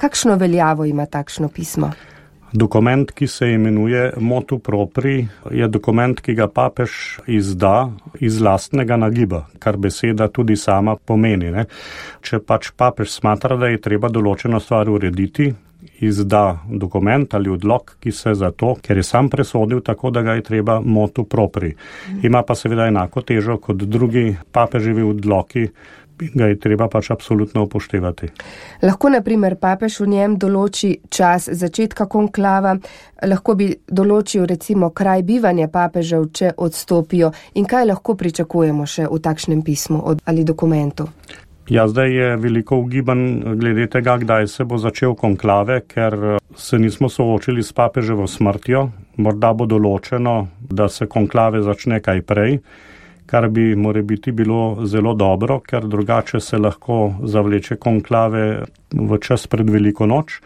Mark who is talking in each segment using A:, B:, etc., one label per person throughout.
A: Kakšno veljavo ima takšno pismo?
B: Dokument, ki se imenuje motu propri, je dokument, ki ga papež izda iz lastnega nagiba, kar beseda tudi sama pomeni. Ne? Če pač papež smatra, da je treba določeno stvar urediti, izda dokument ali odlok, ki se za to, ker je sam presodil tako, da ga je treba motu propri. Ima pa seveda enako težo kot drugi papeževi odloki, ga je treba pač absolutno upoštevati.
A: Lahko, na primer, papež v njem določi čas začetka konklava, lahko bi določil recimo kraj bivanja papežev, če odstopijo, in kaj lahko pričakujemo še v takšnem pismu ali dokumentu?
B: Ja, zdaj je veliko ugibanj glede tega, kdaj se bo začel konklave, ker se nismo soočili s papeževo smrtjo. Morda bo določeno, da se konklave začne kaj prej, kar bi morebiti bilo zelo dobro, ker drugače se lahko zavleče konklave v čas pred Veliko noč.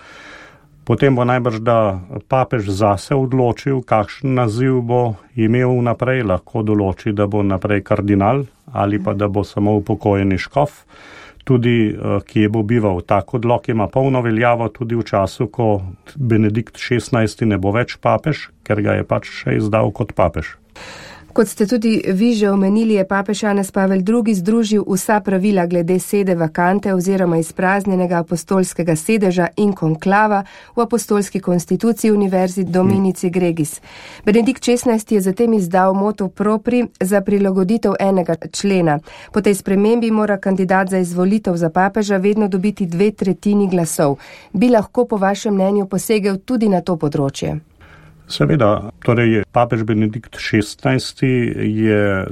B: Potem bo najbrž, da papež zase odločil, kakšen naziv bo imel naprej, lahko določi, da bo naprej kardinal ali pa da bo samo upokojeni škof. Tudi, kje bo bival. Tak odlok ima polno veljavo tudi v času, ko Benedikt XVI ne bo več papež, ker ga je pač še izdal kot papež.
A: Kot ste tudi vi že omenili, je papež Janez Pavel II. Združil vsa pravila glede sede vakante oziroma izpraznjenega apostolskega sedeža in konklava v apostolski konstituciji Univerzi Dominici Gregis. Benedikt XVI. Je zatem izdal motu propri za prilagoditev enega člena. Po tej spremembi mora kandidat za izvolitev za papeža vedno dobiti 2/3 glasov. Bi lahko po vašem mnenju posegel tudi na to področje?
B: Seveda, torej papež Benedikt XVI. Je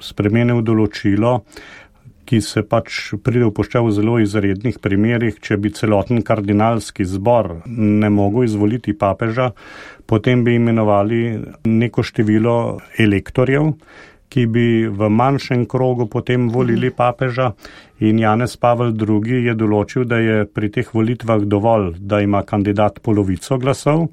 B: spremenil določilo, ki se pač pride upoštev v zelo izrednih primerih. Če bi celoten kardinalski zbor ne mogel izvoliti papeža, potem bi imenovali neko število elektorjev, ki bi v manjšem krogu potem volili papeža, in Janez Pavel II. Je določil, da je pri teh volitvah dovolj, da ima kandidat polovico glasov.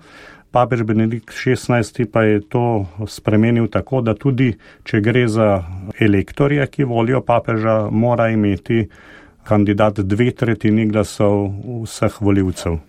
B: Papež Benedikt XVI. Pa je to spremenil tako, da tudi, če gre za elektorje, ki volijo papeža, mora imeti kandidat 2/3 glasov vseh volivcev.